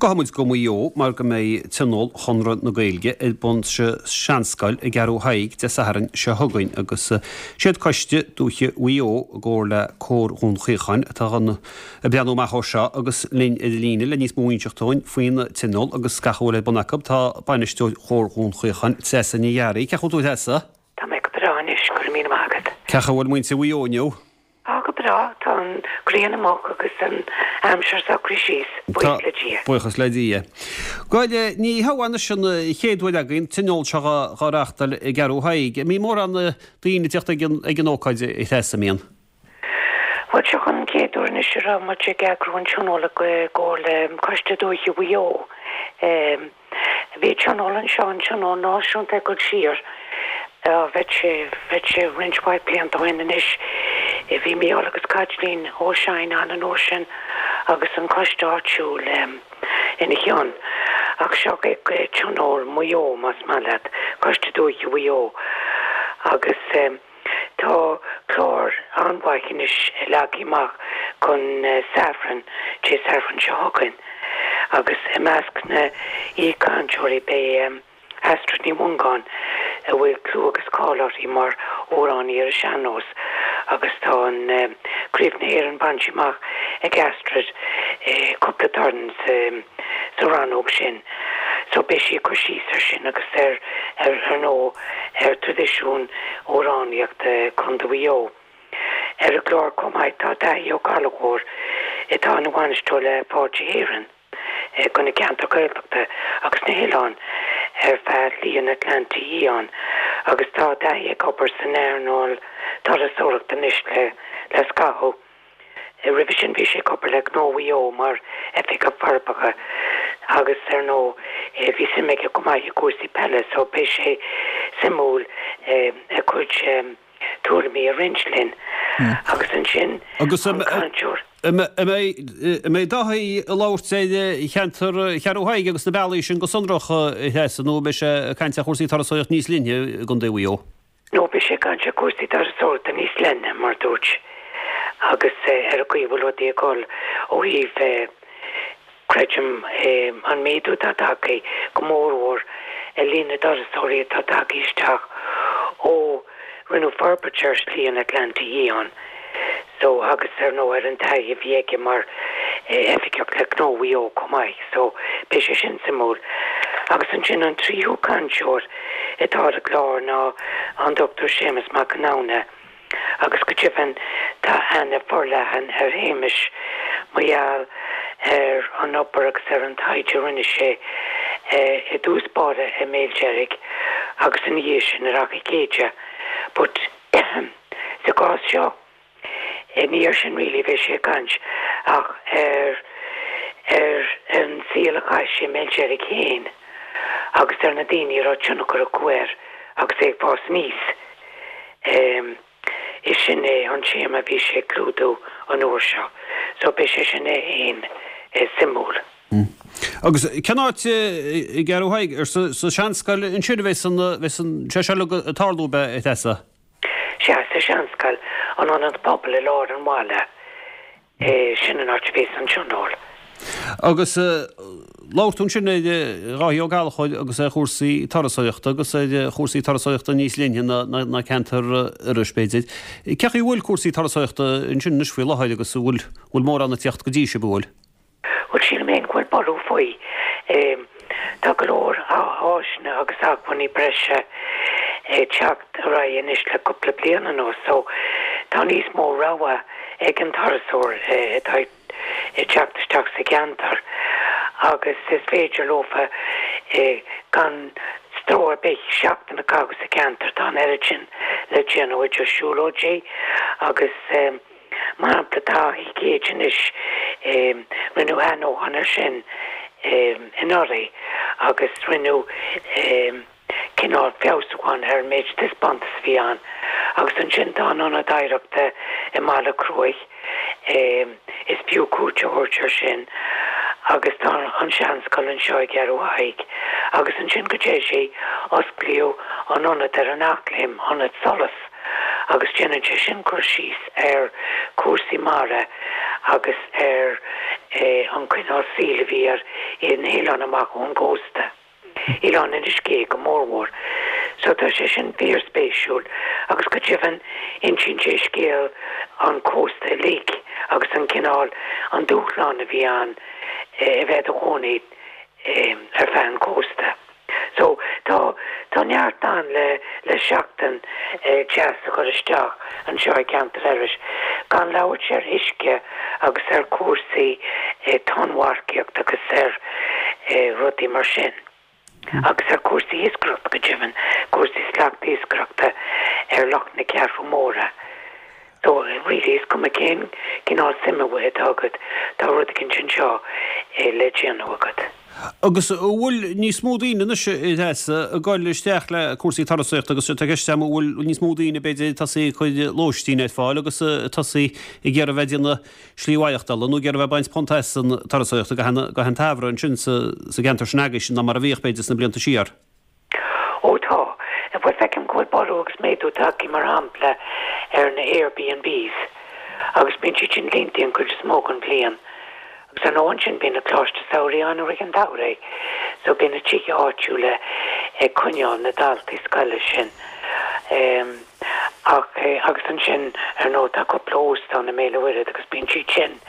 Gabhfaidh muid go Maigh Eo mar go mbeidh Tionól Chonradh na Gaeilge ar bun sa Seanscoil i gCeathrú Thaidhg Dé Sathairn seo chugainn agus siad Coiste Dúiche Mhaigh Eo i gcomhar le Comhar Dhún Chaocháin atá ag breathnú amach dó seo agus linn ar an líne le níos mó a inseacht dúinn faoin Tionól agus gach a bhfuil ar bun acu tá Bainisteoir Chomhar Dhún Chaocháin, Treasa Ní Fhearraigh. Cén chaoi a bhfuil tú a Threasa? Tá mé go breá anois, go raibh míle maith agat. Cén chaoi a bhfuil muintir Mhaigh Eo inniu? Tá go breá, tá an ghrian amach agus an aimsir socraithe síos, buíochas le Dia. Buíochas le Dia. Bhuel, ní hea anois an chéad uair againn tionól seo dhá reáchtáil i gCeathrú Thaidhg. An mbíonn mórán daoine ag teacht ag an ócáid, a Threasa, an mbíonn? Bhuel, seo an chéad uair anois a raibh muid ag eagrú an tionól i gcomhar le Coiste Dúiche Mhaigh Eo. Bhí tionól anseo, an tionól náisiúnta ag dul siar, bheadh sé, bheadh sé roinnt mhaith blianta ó shin anois. Bhí Mícheál agus Caitlín Ó Seighin ann an uair sin agus an coiste áitiúil ina chionn. Ach seo é tionól Mhaigh Eo, más maith leat, Coiste Dúiche Mhaigh Eo. Agus. Tá clár an-mhaith anois leagtha amach don Satharn, Dé Sathairn seo chugainn, agus i measc na n-aoichainteoirí beidh Astrid Ní Mhongáin, a bhfuil clú agus cáil uirthi mar amhránaí ar an sean-nós, agus tá an Craobh na hÉireann bainte amach ag Astrid cúpla turn sa rannóg sin. So beidh sí ag cur síos ar sin agus ar ar ndóigh ar traidisiún amhránaíochta Contae Mhaigh Eo. Ar an gclár chomh maith tá Daithí Ó Gallchóir atá ina bhainisteoir le Fáilte Éireann do na ceantair Ghaeltachta agus na hoileáin ar feadh Shlí an Atlantaigh Fhiáin agus tá Daithí ag obair san earnáil turasóireachta anois le le scaitheamh. Roimhe sin bhí sé ag obair le Gnó Mhaigh Eo mar Oifigeach Forbartha agus ar ndóigh bhí suim aige go maith i gcúrsaí peile so beidh sé suimiúil a chuid tuairimí a roinnt linn. Agus ansin an cainteoir. An mbeidh Dáithí ag labhairt ar cheantar Cheathrú Thaidhg agus na bealaí sin go sonrach, a Threasa, nó an mbeidh sé ag caint ar chúrsaí turasóireachta níos leithne i gContae Mhaigh Eo? No beidh sé ag caint ar chúrsaí turasóireachta níos leithne, mar dúirt, agus ar an gcaoi a bhfuil rudaí ag dul ó thaobh, creidim, an méadú atá tagtha, go mórmhór ar líon na dturasóirí atá tagtha isteach ó rinneadh forbairt ar Shlí an Atlantaigh Fhiáin. So, agus ar ndóigh ar an taithí a bhí aige mar oifigeach le Gnó Mhaigh Eo chomh maith, so beidh sé sin suimiúil. Agus ansin an tríú cainteoir atá ar an gclár ná an Dr Séamus Mac Conamhna agus go deimhin tá aithne forleathan ar Shéamus mar gheall ar an obair agus ar an taighde a rinne sé i dtús báire i mBéal Deirg agus ina dhiaidh sin ar Achadh Céide. But. Sa gcás seo, ní air sin really a bheidh sé ag caint ach ar ar an saol a chaith sé i mBéal Deirg féin agus ar na daoine a raibh tionchar acu air agus é ag fás aníos. Is sin é an téama a bhí sé ag clúdú an uair seo. So beidh sé sin é féin suimiúil. Agus cén áit i gCeathrú Thaidhg? Ar sa Seanscoil ansin a bheas an bheas an sé seo uilig ag tarlú ab ea, a Threasa? Sea, sa Seanscoil, an ionad pobail i lár an bhaile, sin an áit a bheas an tionól. Agus labhair tú ansin ar Dháithí Ó Gallchóir agus ar chúrsaí turasóireachta agus ar chúrsaí turasóireachta níos leithne ná ceantar Iorrais, b'fhéidir. Cén chaoi a bhfuil cúrsaí turasóireachta ansin anois faoi láthair agus an bhfuil mórán ag tíocht go dtí sibh, an bhfuil? Bhuel, sílim féin go bhfuil borradh faoi. Tá go leor áiseanna agus acmhainní breise ag teacht ar aghaidh anois le cúpla bliain anuas so tá níos mó rogha ag an turasóir atá ag teacht isteach sa cheantar agus is féidir leofa gan stró ar bith seachtain a chaitheamh sa cheantar. Tá an oiread sin le déanamh idir siúlóidí agus. Mar shampla, tá Achadh Céide anois, rinneadh athnuachan air sin anuraidh agus rinneadh cineál feabhsúchán ar an méid taispeántas a bhí ann. Agus ansin tá an Ionad Oidhreachta i mBaile Cruaich, is fiú cuairt a thabhairt air sin. Agus tá an Seanscoil anseo i gCeathrú Thaidhg. Agus ansin go deimhin, osclaíodh an ionad ar an Eachléim, Ionad Solas. agus déanann sé sin cur síos ar chúrsaí mara agus ar. an cineál saoil a bhí ar na hoileáin amach ón gcósta, Oileán Inis Gé go mórmhór. So tá sé sin fíorspéisiúil agus go deimhin insíonn sé scéal an chósta uilig agus an cineál, an dúshlán a bhí ann a bheith i do chónaí ar feadh an chósta. So, tá, tá neart ann le, le seachtain deas a chur isteach anseo i gceantar Iorrais, gan labhairt ar uisce agus ar chúrsaí tonnmharcaíochta agus ar rudaí mar sin. Agus ar chúrsaí iascaireachta go deimhin, cúrsaí slatiascaireachta ar Loch na Ceathrún Móire. So, really, is cuma cén cineál suime atá agat, tá rud eicínt anseo le déanamh agat. Agus an bhfuil níos mó daoine anois, a Threasa, ag dul isteach le cúrsaí turasóireachta agus tá ceist agam an bhfuil níos mó daoine b'fhéidir ag tosaí ag cur lóistín ar fáil agus ag tosaí ag iarraidh a bheith ag déanamh slí mhaireachtála nó ag iarraidh a bheith ag baint punt as an turasóireacht gach aon tsamhradh ansin sa gceantar sin agaibhse ná mar a bhíodh b'fhéidir sna blianta siar. Ó tá. Bhuel feicim go bhfuil borradh agus méadú tagtha mar shampla ar na Airbnbs agus bíonn siad sin líonta an chuid is mó den bhliain. Agus ar ndóigh ansin bíonn na coláistí samhraidh ann i rith an tsamhraidh so bíonn na tithe áitiúla ag coinneáil na daltaí scoile sin. Ach agus ansin ar ndóigh tá cúpla óstán i mBéal an Mhuirthead agus bíonn siad sin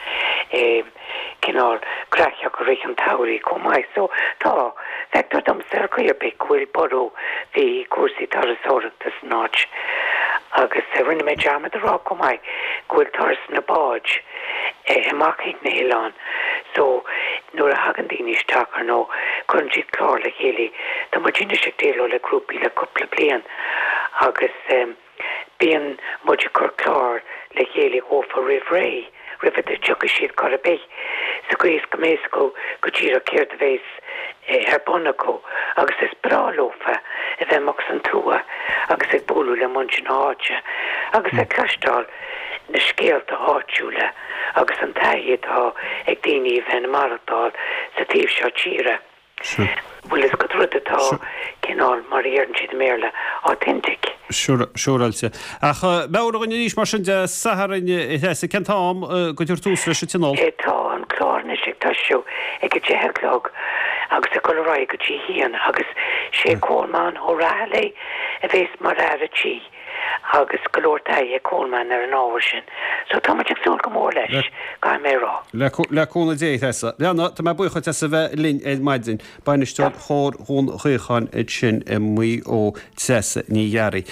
cineál graitheach i rith an tsamhraidh chomh maith. So tá, feictear domsa ar chaoi ar bith go bhfuil borradh faoi chúrsaí turasóireachta san áit. Agus rinne mé dearmad a rá chomh maith go bhfuil turasanna báid amach chuig na hoileáin so nuair a thagann daoine isteach ar ndóigh cuireann siad clár le chéile. Tá muid anois ag déileáil le grúpaí le cúpla bliain agus bíonn muid ag cur clár le chéile dhófa roimh ré, roimh a dtiocfaidh siad chor ar bith, sa gcaoi is go mbeidh a fhios acu go díreach céard a bheas ar bun acu agus is breá leofa a bheith amuigh san tuath agus ag bualadh le muintir na háite agus ag cloisteáil na scéalta áitiúla agus an taithí atá ag daoine a bheith ina maireachtáil sa taobh seo tíre. Bhfuil fhios agat, rud atá cineál, mar a dheireann siad i mBéarla, authentic. Siúráilte. Ach meabhraigh dhúinn arís mar sin Dé Sathairn, a Threasa, cén t-am go dtabharfar tús leis an tionól? Tá an clár anois ag toisiú ag a 10 a chlog agus ag dul ar aghaidh go dtí a haon agus sé Colmán Ó Raghallaigh a bhéas mar fhear a' tí. agus go leor taithí ag Colmán ar an ábhar sin. So tá muid ag súil go mór leis, caithfidh mé a rá. Le cúnamh Dé, a Threasa. Bhuel, tá mé buíoch duit as a bheith linn ar maidin. Bainisteoir Chomhar Dhún Chaocháin ansin i Maigh Eo, Treasa Ní Ghearraigh.